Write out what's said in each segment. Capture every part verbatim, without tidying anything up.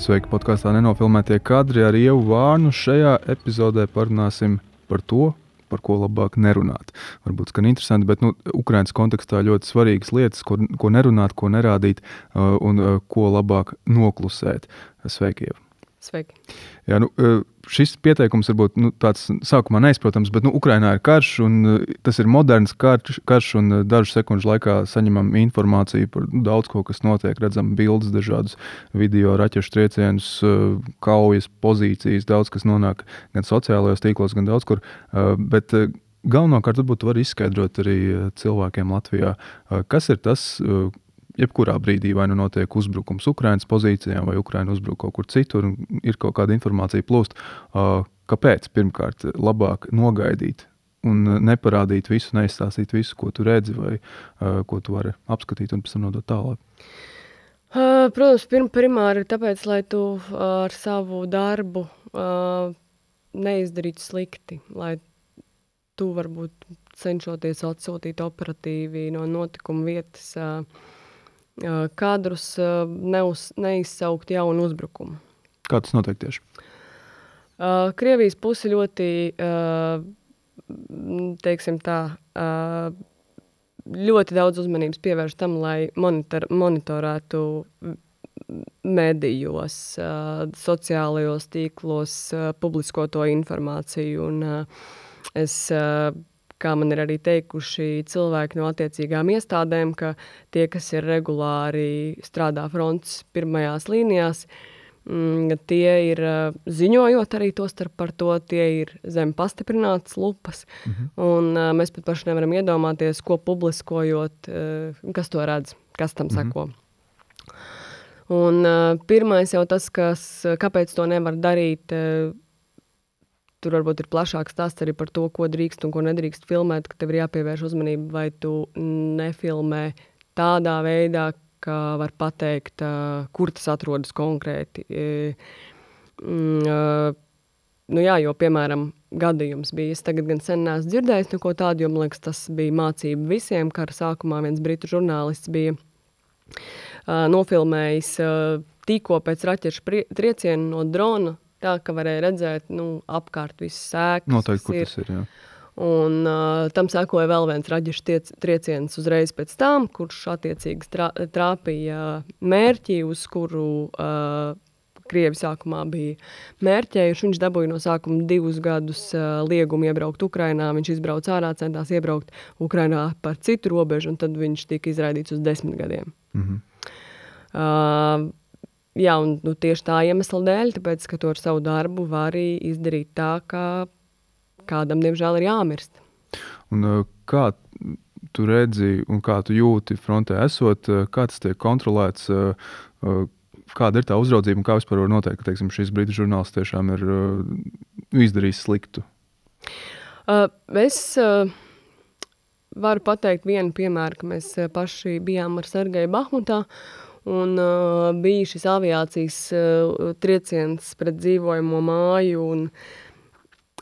Sveiki podkāstā Nenofilmētie kadri ar Ievu Vārnu. Šajā epizodē parunāsim par to, par ko labāk nerunāt. Varbūt skan interesanti, bet nu, Ukrainas kontekstā ļoti svarīgas lietas, ko, ko nerunāt, ko nerādīt uh, un uh, ko labāk noklusēt. Sveiki, Ieva. Sveiki. Jā, nu, šis pieteikums varbūt nu, tāds sākumā neizprotams, bet nu, Ukrainā ir karš, un tas ir moderns karš, karš un dažu sekundžu laikā saņemam informāciju par daudz ko, kas notiek. Redzam bildes, dažādus video, raķešu triecienus, kaujas pozīcijas, daudz kas nonāk gan sociālajos tīklos, gan daudz kur. Bet galvenokārt varbūt var izskaidrot arī cilvēkiem Latvijā, kas ir tas, jebkurā brīdī vai nu notiek uzbrukums Ukrainas pozīcijām, vai Ukraina uzbruk kaut kur citur, un ir kaut kāda informācija plūst. Kāpēc? Pirmkārt, labāk nogaidīt un neparādīt visu, neizstāstīt visu, ko tu redzi, vai ko tu vari apskatīt un pēc tam nodot tālāk? Protams, pirm, primāri ir tāpēc, lai tu ar savu darbu neizdarītu slikti, lai tu varbūt cenšoties atsūtīt operatīvi no notikuma vietas kadrus neuz, neizsaukt jaunu uzbrukumu. Kā tas notiek tieši? Krievijas pusi ļoti, teiksim tā, ļoti daudz uzmanības pievērš tam, lai monitor, monitorētu medijos, sociālajos tīklos publiskoto informāciju. Un es kā man ir arī teikuši cilvēki no attiecīgām iestādēm, ka tie, kas ir regulāri strādā frontes pirmajās līnijās, tie ir, ziņojot arī to starp par to, tie ir zem pastiprinātas lupas, mhm. un mēs pat paši nevaram iedomāties, ko publiskojot, kas to redz, kas tam seko. Mhm. Un pirmais jau tas, kas, kāpēc to nevar darīt, tur varbūt ir plašāks stāsts arī par to, ko drīkst un ko nedrīkst filmēt, ka tev ir jāpievērš uzmanība, vai tu nefilmē tādā veidā, ka var pateikt, kur tas atrodas konkrēti. Nu jā, jo, piemēram, gadījums bija, es tagad gan sen neesmu dzirdējis neko tādu, jo, man liekas, tas bija mācība visiem. Kara sākumā viens britu žurnālists bija nofilmējis tikko pēc raķešu triecienu no drona, tā, ka varēja redzēt, nu, apkārt visas sēkas. Noteikti, kur tas ir, jā. Un uh, tam sekoja vēl viens raģešu tiec, trieciens uzreiz pēc tam, kurš attiecīgi trā, trāpīja mērķi, uz kuru uh, Krievi sākumā bija mērķējuši. Viņš dabūja no sākuma divus gadus uh, liegumu iebraukt Ukrainā. Viņš izbrauca ārā, centās iebraukt Ukrainā par citu robežu, un tad viņš tika izraidīts uz desmit gadiem. Mhm. Uh, Jā, un nu, tieši tā iemesla dēļ, tāpēc, ka to ar savu darbu var arī izdarīt tā, ka kādam, diemžēl, ir jāmirst. Un kā tu redzi un kā tu jūti frontē esot, kā tas tiek kontrolēts, kāda ir tā uzraudzība un kā vispār var noteikt, ka, teiksim, šis britu žurnālists tiešām ir izdarījis sliktu? Es varu pateikt vienu piemēru, ka mēs paši bijām ar Sergeju Bahmutā, un uh, bija šis aviācijas uh, trieciens pret dzīvojamo māju, un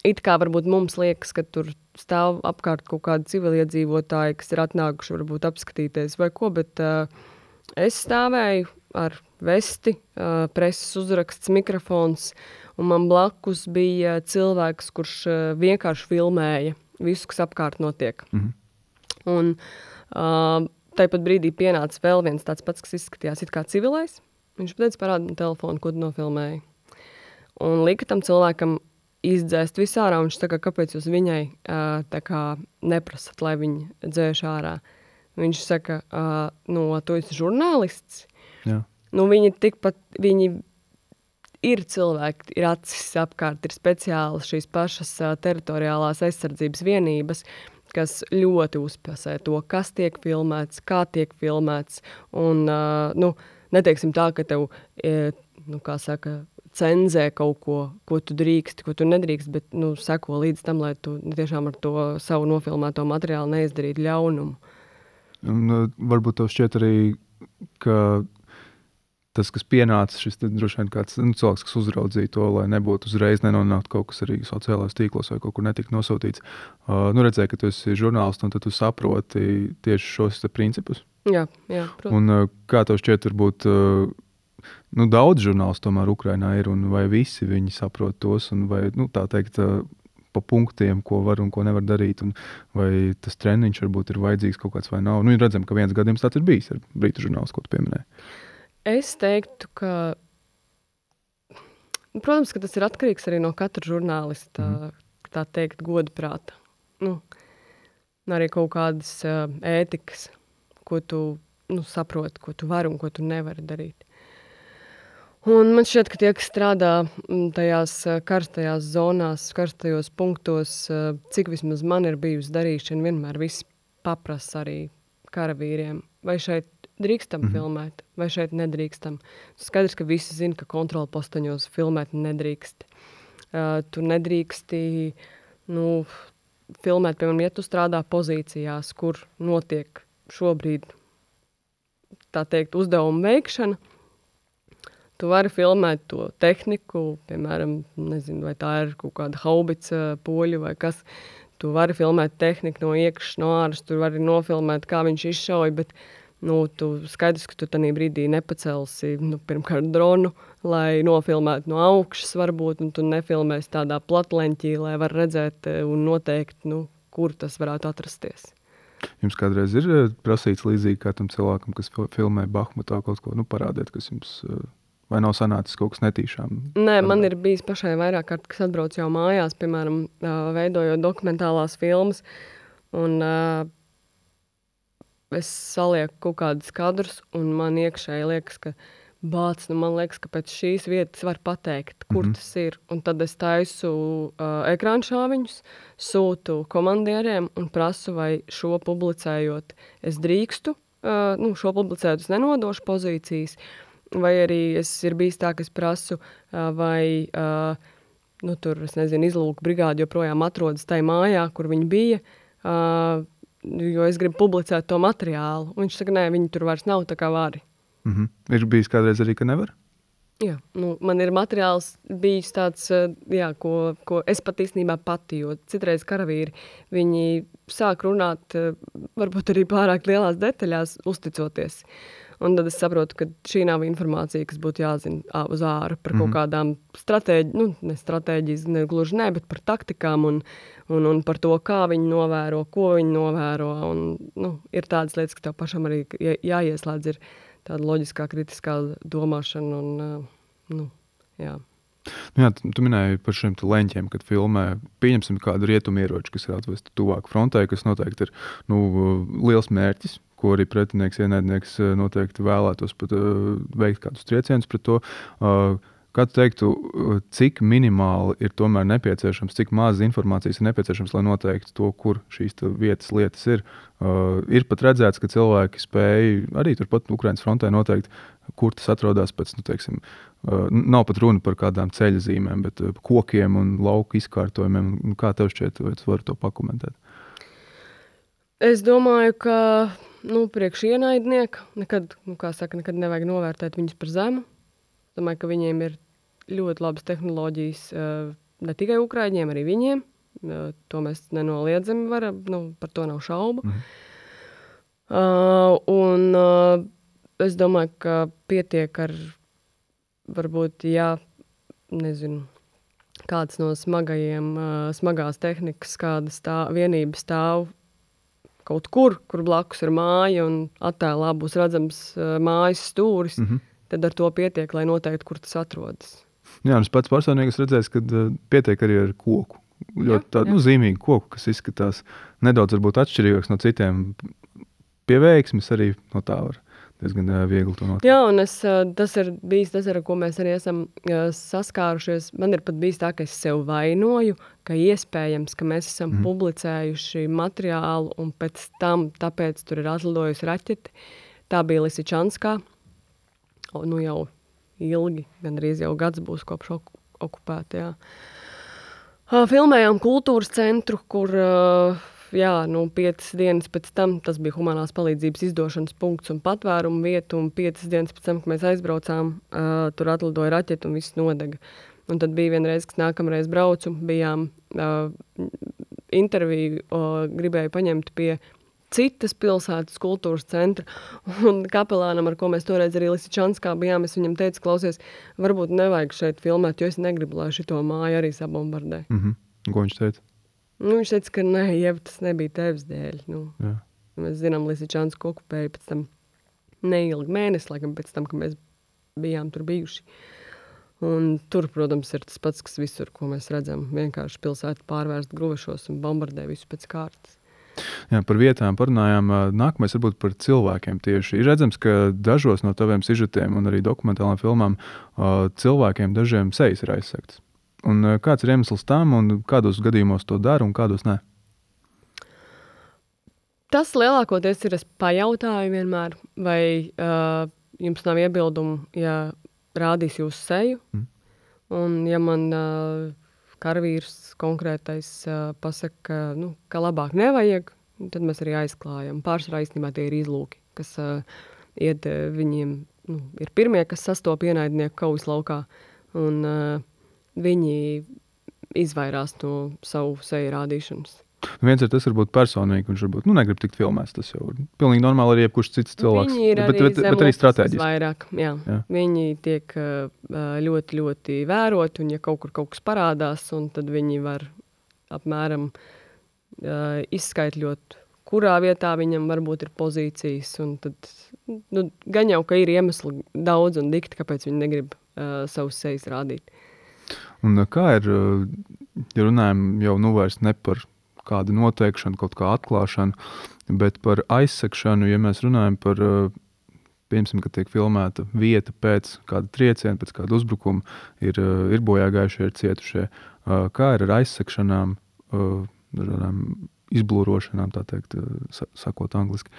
it kā varbūt mums liekas, ka tur stāv apkārt kaut kādi civiliedzīvotāji, kas ir atnākuši varbūt apskatīties vai ko, bet uh, es stāvēju ar vesti, uh, preses uzraksts, mikrofons, un man blakus bija cilvēks, kurš uh, vienkārši filmēja visu, kas apkārt notiek. Mhm. Un uh, Tāpat brīdī pienāca vēl viens tāds pats, kas izskatījās it kā civilais. Viņš pateica, parāda man telefonu, ko tu nofilmēji. Un lika tam cilvēkam izdzēst visu ārā, un viņš saka, kāpēc jūs viņai tā kā neprasat, lai viņi dzēš ārā. Viņš saka, nu, tu esi žurnālists. Jā. Nu, viņi tikpat, viņi ir cilvēki, ir acis apkārt, ir speciāli šīs pašas teritoriālās aizsardzības vienības, kas ļoti uzpasē to, kas tiek filmēts, kā tiek filmēts, un, uh, nu, neteiksim tā, ka tev, e, nu, kā saka, cenzē kaut ko, ko tu drīksti, ko tu nedrīkst, bet, nu, seko līdz tam, lai tu tiešām ar to savu nofilmēto materiālu neizdarītu ļaunumu. Un uh, varbūt tev šķiet arī, ka tas, kas pienāca, šis droši vien kāds nu, cilvēks, kas uzraudzīja to, lai nebūtu uzreiz nenonākt kaut kas arī sociālajos tīklos vai kaut kur netika nosūtīts. Uh, nu redzēja, ka tu esi žurnālists un tad tu saproti tieši šos principus. Jā, jā, protams. Un uh, kā tev šķiet, varbūt uh, nu, daudz žurnālistu tomēr Ukrainā ir, un vai visi viņi saprot tos, un vai, nu, tā teikt, pa punktiem, ko var un ko nevar darīt, un vai tas treniņš varbūt ir vajadzīgs kaut kāds vai nav. Nu, redzam, ka viens gadījums tāds ir bijis ar brītu žurnālistu, ko tu pieminēji. Es teiktu, ka, protams, ka tas ir atkarīgs arī no katra žurnālista, mm. tā teikt, godprāta. Nu, arī kaut kādas uh, ētikas, ko tu nu, saproti, ko tu vari un ko tu nevari darīt. Un man šķiet, ka tie, kas strādā tajās karstajās zonās, karstajos punktos, cik vismaz man ir bijusi darīšana, vienmēr viss paprasa arī karavīriem. Vai šeit drīkstam mm-hmm. filmēt, vai šeit nedrīkstam. Skaidrs, ka visi zina, ka kontrola postaņos filmēt nedrīkst. Uh, tu nedrīksti nu, filmēt, piemēram, ja tu strādā pozīcijās, kur notiek šobrīd, tā teikt, uzdevuma veikšana. Tu vari filmēt to tehniku, piemēram, nezinu, vai tā ir kaut kāda haubica poļu vai kas. Tu vari filmēt tehniku no iekšas, no āras, tu vari nofilmēt, kā viņš izšauja, bet nu, tu skaidrs, ka tu tanī brīdī nepacelsi, nu, pirmkārt dronu, lai nofilmētu no augšas varbūt, un tu nefilmēsi tādā platleņķī, lai var redzēt un noteikt, nu, kur tas varētu atrasties. Jums kādreiz ir prasīts līdzīgi kā tam cilvēkam, kas filmē Bahmutā kaut ko, nu, parādiet, kas jums... Vai nav sanācis kaut kas netīšām? Nē, man ir bijis pašai vairāk kārt, kas atbrauc jau mājās, piemēram, veidojot dokumentālās filmas, un uh, es salieku kaut kādus kadrus, un man iekšēji liekas, ka bāc, nu man liekas, ka pēc šīs vietas var pateikt, kur mm-hmm. tas ir. Un tad es taisu uh, ekrānšāviņus, sūtu komandieriem un prasu, vai šo publicējot es drīkstu, uh, nu, šo publicējot es nenodošu pozīcijas, vai arī es ir bijis tā, ka es prasu, vai, nu, tur, es nezinu, izlūku brigādi joprojām atrodas tai mājā, kur viņi bija, jo es gribu publicēt to materiālu. Un viņš saka, nē, viņi tur vairs nav, tā kā vari. Mm-hmm. Ir bijis kādreiz arī, ka nevar? Jā, nu, man ir materiāls bijis tāds, jā, ko, ko es pat īstenībā pati, jo citreiz karavīri, viņi sāk runāt, varbūt arī pārāk lielās detaļās, uzticoties. Un tad es saprotu, ka šī nav informācija, kas būtu jāzina uz āru par kaut kādām stratēģi, nu, ne stratēģijas, ne gluži ne, bet par taktikām un, un, un par to, kā viņi novēro, ko viņi novēro. Un, nu, ir tādas lietas, ka tev pašam arī jāieslēdz ir tāda loģiskā, kritiskā domāšana un, nu, jā. Nu jā, tu minēji par šiem leņķiem, kad filmē, pieņemsim kādu rietumu ieroči, kas ir atvesti tuvāk frontē, kas noteikti ir, nu, liels mērķis, ko arī pretinieks, ienaidnieks noteikti vēlētos pat uh, veikt kādus triecienus pret to. Uh, kā tu teiktu, cik minimāli ir tomēr nepieciešams, cik maz informācijas ir nepieciešams, lai noteiktu to, kur šīs vietas lietas ir. Uh, ir pat redzēts, ka cilvēki spēj arī turpat Ukrainas frontē noteikt, kur tas atrodas pēc, nu, teiksim, uh, nav pat runa par kādām ceļa zīmēm, bet uh, kokiem un lauku izkārtojumiem. Kā tev šķiet, vai tu vari to pakomentēt? Es domāju, ka nu, priekš ienaidnieka nekad, nu, kā saka, nekad nevajag novērtēt viņus par zemu. Domāju, ka viņiem ir ļoti labas tehnoloģijas ne tikai ukraiņiem, arī viņiem. To mēs nenoliedzami varam, nu, par to nav šaubu. Mm. Uh, un uh, es domāju, ka pietiek ar varbūt, jā, nezinu, kāds no smagajiem, uh, smagās tehnikas, kāda stāv, vienība stāv kaut kur, kur blakus ir māja un attēlā būs redzams uh, mājas stūris, mm-hmm. tad ar to pietiek, lai noteikti, kur tas atrodas. Jā, un es pats personīgi esmu redzējis, ka uh, pietiek arī ar koku. Ļoti tādu nu, zīmīgu koku, kas izskatās nedaudz varbūt atšķirīgāks no citiem. Pie veiksmes arī no tā var diezgan uh, viegli to noteikt. Jā, un es, uh, tas ir bijis tas, ar ko mēs arī esam uh, saskārušies. Man ir pat bijis tā, ka es sev vainoju, ka iespējams, ka mēs esam mm. publicējuši materiālu un pēc tam, tāpēc tur ir atlidojusi raķeti. Tā bija Lisičanskā. O, nu jau ilgi, gandrīz jau gads būs kopš ok- okupēta, jā. Uh, filmējām kultūras centru, kur, uh, jā, nu, piecas dienas pēc tam, tas bija humanās palīdzības izdošanas punkts un patvērumu vietu, un piecas dienas pēc tam, kad mēs aizbraucām, uh, tur atlidoja raķeti un viss nodega. Un tad bija vienreiz, kas nākamreiz braucu, bijām uh, interviju, uh, gribēju paņemt pie citas pilsētas kultūras centra. Un kapelānam, ar ko mēs toreiz arī Lisičanskā bijām, es viņam teicu, klausies, varbūt nevajag šeit filmēt, jo es negribu, lai šito māju arī sabombardē. Mhm. Ko viņš teica? Nu, viņš teica, ka nē, Ieva, tas nebija tevis dēļ. Nu, Jā. Mēs zinām, Lisičansku okupēja pēc tam neilgi mēnesi, laikam pēc tam, ka mēs bijām tur bijuši. Un tur, protams, ir tas pats, kas visur, ko mēs redzam. Vienkārši pilsēta pārvērst gruvešos un bombardē visu pēc kārtas. Jā, par vietām parunājām. Nākamais varbūt par cilvēkiem tieši. Ir redzams, ka dažos no taviem sižetiem un arī dokumentālām filmām cilvēkiem dažiem sejas ir aizsegtas. Un kāds ir iemesls tam un kādos gadījumos to dara un kādos ne? Tas lielākoties ir, es pajautāju vienmēr, vai uh, jums nav iebildumu, ja rādīs jūsu seju. Mm. Un ja man uh, karavīrs konkrētais uh, pasaka, ka, nu, ka labāk nevajag, tad mēs arī aizklājam. Pārsvarā īstenībā tie ir izlūki, kas uh, iet uh, viņiem, nu, ir pirmie, kas sastop ienaidnieku kaujas laukā. Un uh, viņi izvairās no savu seju rādīšanas. Viens ir tas, varbūt personīgi, viņš varbūt nu, negrib tikt filmēts. Tas jau ir pilnīgi normāli arī jebkurš cits cilvēks. Viņi ir arī bet, bet, bet arī strateģiski. Vairāk, jā. jā. Viņi tiek ļoti, ļoti vēroti, un ja kaut kur kaut kas parādās, un tad viņi var apmēram uh, izskaitļot, kurā vietā viņam varbūt ir pozīcijas, un tad nu, gan jau, ka ir iemesli daudz un dikti, kāpēc viņi negrib uh, savus sejas rādīt. Un kā ir, ja runājam jau nu vairs ne par kādu noteikšanu, kaut kā atklāšanu, bet par aizsekšanu, ja mēs runājam par, piemēram, kad tiek filmēta vieta pēc kāda trieciena, pēc kāda uzbrukuma, ir, ir bojāgājušie, ir cietušie. Kā ir ar aizsekšanām, izblūrošanām, tā teikt, sakot angliski,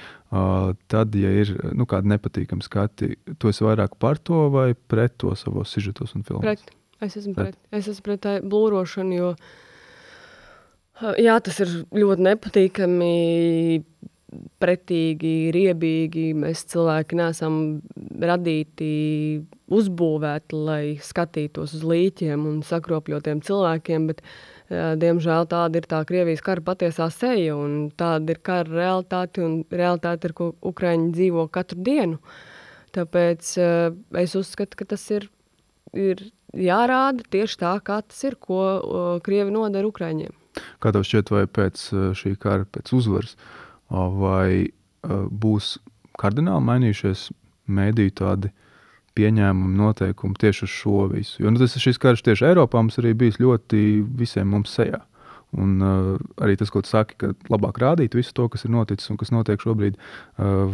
tad, ja ir nu, kādi nepatīkami skati, tu esi vairāk par to vai pret to savos sižetos un filmās? Pret. Es esmu pret. Es esmu pret tā blūrošanu, jo jā, tas ir ļoti nepatīkami, pretīgi, riebīgi. Mēs cilvēki neesam radīti, uzbūvēti, lai skatītos uz līķiem un sakropļotiem cilvēkiem, bet, diemžēl, tāda ir tā Krievijas kara patiesā seja, un tāda ir kara realitāte, un realitāte ir, ko Ukraiņi dzīvo katru dienu. Tāpēc es uzskatu, ka tas ir, ir jārāda tieši tā, kā tas ir, ko Krievi nodara Ukraiņiem. Kā tev šķiet, vai pēc šī kara, pēc uzvaras, vai būs kardināli mainījušies mēdīju tādi pieņēmumi, noteikumi tieši uz šo visu? Jo nu, tas, šis karš tieši Eiropā mums arī bijis ļoti visiem mums sejā. Un uh, arī tas, ko tu saki, ka labāk rādīt visu to, kas ir noticis un kas notiek šobrīd, uh,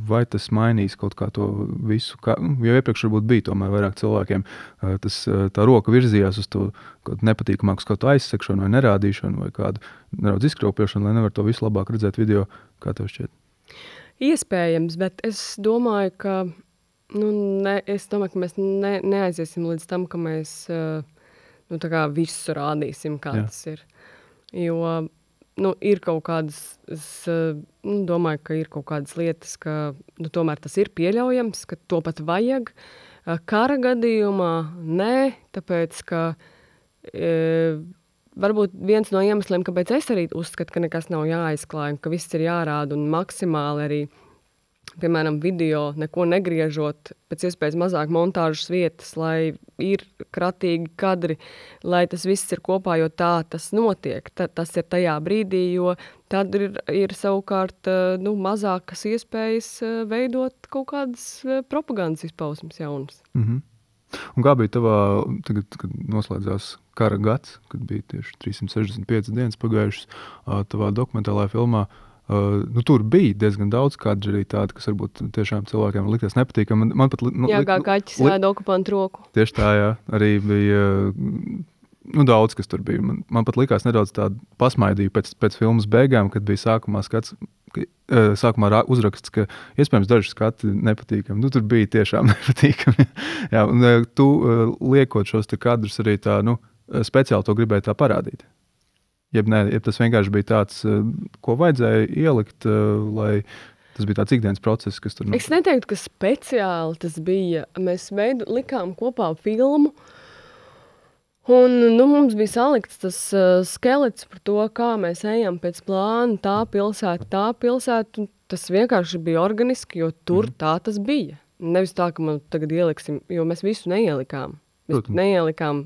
vai tas mainīs kaut kā to visu, kā, jo iepriekš varbūt bija tomēr vairāk cilvēkiem, uh, tas, uh, tā roka virzījās uz to kaut nepatīkamāku skatu aizsekšanu vai nerādīšanu vai kādu nedaudz izkropļošanu, lai nevar to visu labāk redzēt video, kā tev šķiet? Iespējams, bet es domāju, ka, nu, ne, es domāju, ka mēs ne, neaiziesim līdz tam, ka mēs uh, nu, tā kā visu rādīsim, kā Jā. Tas ir. Jo nu, ir kaut kādas, es nu, domāju, ka ir kaut kādas lietas, ka nu, tomēr tas ir pieļaujams, ka to pat vajag. Kara gadījumā nē, tāpēc, ka e, varbūt viens no iemesliem, kāpēc es arī uzskatu, ka nekas nav jāaizklāj, ka viss ir jārāda un maksimāli arī, piemēram, video neko negriežot, pēc iespējas mazāk montāžas vietas, lai ir kratīgi kadri, lai tas viss ir kopā, jo tā tas notiek. Ta, tas ir tajā brīdī, jo tad ir, ir savukārt nu, mazākas iespējas veidot kaut kādas propagandas izpausmes jaunas. Mm-hmm. Un kā bija tavā, tagad, kad noslēdzās kara gads, kad bija tieši trīs simt sešdesmit piecas dienas pagājušas, tavā dokumentālajā filmā, Uh, nu, tur bija diezgan daudz kadri arī tādi, kas varbūt tiešām cilvēkiem likties nepatīkami. Man, man pat, nu, jā, kā kaķis ēd okupantu roku. Tieši tā, jā. Arī bija nu, daudz, kas tur bija. Man, man pat likās nedaudz tādu pasmaidīju pēc, pēc filmas beigām, kad bija sākumā skats, ka, uh, sākumā uzraksts, ka iespējams daži skati nepatīkami. Nu, tur bija tiešām nepatīkami. jā, un uh, tu uh, liekot šos te kadrus arī tā, nu, speciāli to gribēji tā parādīt. Jeb, ne, jeb tas vienkārši bija tāds, ko vajadzēja ielikt, lai tas bija tāds ikdienas process, kas tur... Es neteiktu, ka speciāli tas bija. Mēs veidu, likām kopā filmu, Un, nu, mums bija salikts tas uh, skelets par to, kā mēs ejam pēc plāna, tā pilsēta, tā pilsēta, un tas vienkārši bija organiski, jo tur mm. tā tas bija. Nevis tā, ka man tagad ieliksim, jo mēs visu neielikām. Mēs Protams. neielikām,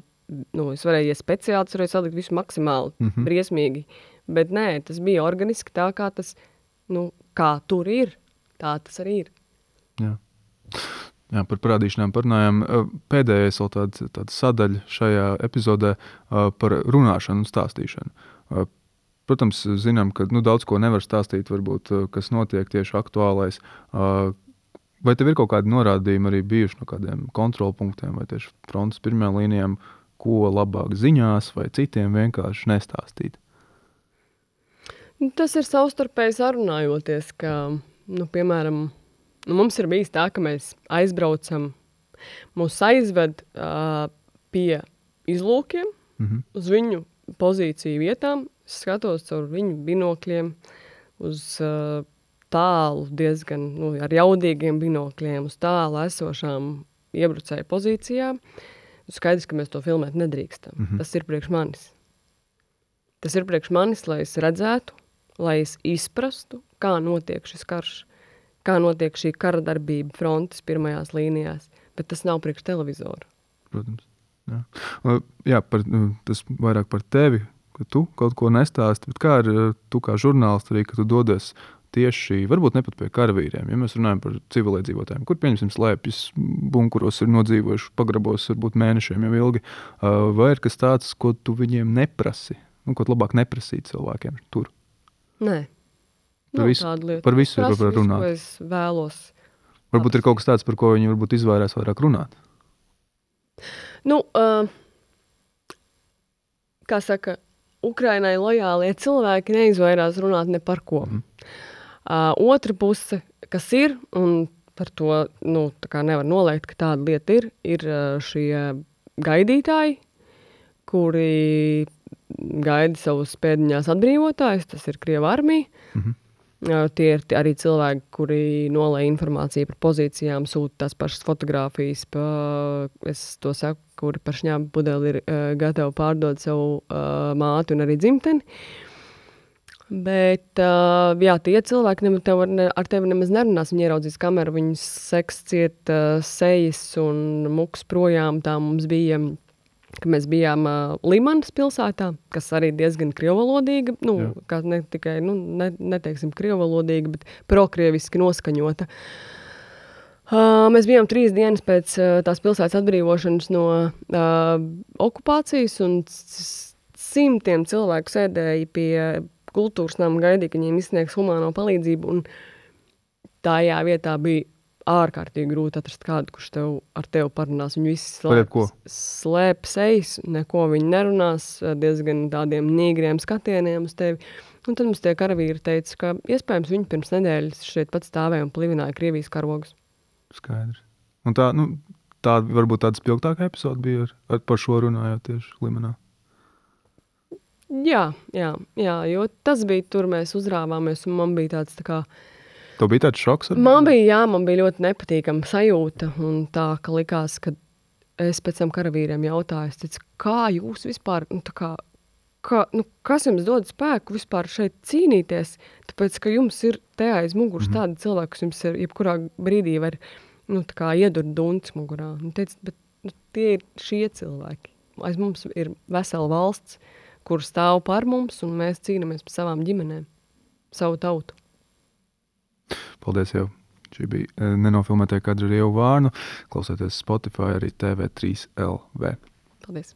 nu, es varēju iet speciāli, es varēju salikt visu maksimāli, mm-hmm. briesmīgi, bet nē, tas bija organiski tā, kā tas, nu, kā tur ir, tā tas arī ir. Jā. Jā, par parādīšanām parunājām. Pēdējais vēl tāda, tāda sadaļa šajā epizodē par runāšanu un stāstīšanu. Protams, zinām, ka nu, daudz ko nevar stāstīt, varbūt, kas notiek tieši aktuālais. Vai tev ir kaut kādi norādījumi arī bijuši no kādiem kontrolpunktiem vai tieši frontes pirmajām līnijām, ko labāk ziņās vai citiem vienkārši nestāstīt? Tas ir savstarpēji sarunājoties, ka, nu, piemēram, nu, mums ir bijis tā, ka mēs aizbraucam, mūs aizved uh, pie izlūkiem, mm-hmm. uz viņu pozīciju vietām, skatos caur viņu binokļiem, uz uh, tālu diezgan, nu, ar jaudīgiem binokļiem, uz tālu esošām iebrucēju pozīcijām. Skaidrs, ka mēs to filmēt nedrīkstam. Mm-hmm. Tas ir priekš manis. Tas ir priekš manis, lai es redzētu, lai es izprastu, kā notiek šis karš, kā notiek šī kara darbība frontes pirmajās līnijās, bet tas nav priekš televizoru. Protams. Jā, jā par, tas vairāk par tevi, ka tu kaut ko nestāsti, bet kā ar tu kā žurnālisti arī, ka tu dodies tieši, varbūt ne pat pie karavīriem, ja mēs runājam par civiliedzīvotājiem, kur pieņemsim slēpjas, bunkuros ir nodzīvojuši, pagrabos varbūt mēnešiem jau ilgi, vai ir kas tāds, ko tu viņiem neprasi, nu, ko labāk neprasīt cilvēkiem tur? Nē. Par visu, par visu ir var runāt. Visu, ko es vēlos. Varbūt ir kaut kas tāds, par ko viņi varbūt izvairās vairāk runāt. Nu, uh, kā saka, Ukrainai lojālie cilvēki neizvairās runāt ne par ko. Mm. Uh, otra puse, kas ir, un par to, nu, tā kā nevar noliegt, ka tāda lieta ir, ir uh, šie gaidītāji, kuri gaida savus pēdiņās atbrīvotājus, tas ir Krieva armija. Mm-hmm. Tie ir arī cilvēki, kuri nolē informāciju par pozīcijām, sūta tās pašas fotogrāfijas, pa, es to saku, kuri par šņābu pudeli ir uh, gatavi pārdot savu uh, māti un arī dzimteni. Bet, uh, jā, tie cilvēki ne, tev, ne, ar tevi nemaz nerunās, viņi ieraudzīs kameru, viņus seks ciet uh, sejas un muks projām, tā mums bija... ka mēs bijām uh, Limanas pilsētā, kas arī diezgan krievalodīga, nu, Jā. kā ne tikai, nu, ne, neteiksim krievalodīga, bet prokrieviski noskaņota. Uh, mēs bijām trīs dienas pēc uh, tās pilsētas atbrīvošanas no uh, okupācijas, un simtiem cilvēku sēdēja pie kultūras nama, gaidīja, ka viņiem izsniegs humāno palīdzību, un tajā vietā bija ārkārtīgi grūti atrast kādu, kurš tev, ar tevi parunās. Viņi visi slēp, slēp sejas, neko viņi nerunās, diezgan tādiem nīgriem skatieniem uz tevi. Un tad mums tie karavīri teica, ka iespējams viņi pirms nedēļas šeit pat stāvēja un plivināja Krievijas karogus. Skaidrs. Un tā, nu, tā varbūt tāda spilgtākā epizoda bija ar, ar par šo runājot tieši Limanā. Jā, jā, jā, jo tas bija tur, mēs uzrāvāmies, un man bija tāds tā kā Tev bija tāds šoks? Ar... Man bija, jā, man bija ļoti nepatīkama sajūta, un tā, ka likās, ka es pēc tam karavīriem jautāju, es teicu, kā jūs vispār, nu, tā kā, kā, nu, kas jums dod spēku vispār šeit cīnīties, tāpēc, ka jums ir te aiz muguras mm-hmm. tādi cilvēki, kas jums ir jebkurā brīdī var, nu, tā kā iedurt duncis mugurā. Un teicu, bet nu, tie ir šie cilvēki. Aiz mums ir vesela valsts, kur stāv par mums, un mēs cīnamies par savām ģimenēm, savu tautu. Paldies jau. Šī bija nenofilmētie kadri ar Ievu Vārnu. Klausieties Spotify arī T V trīs L V. Paldies.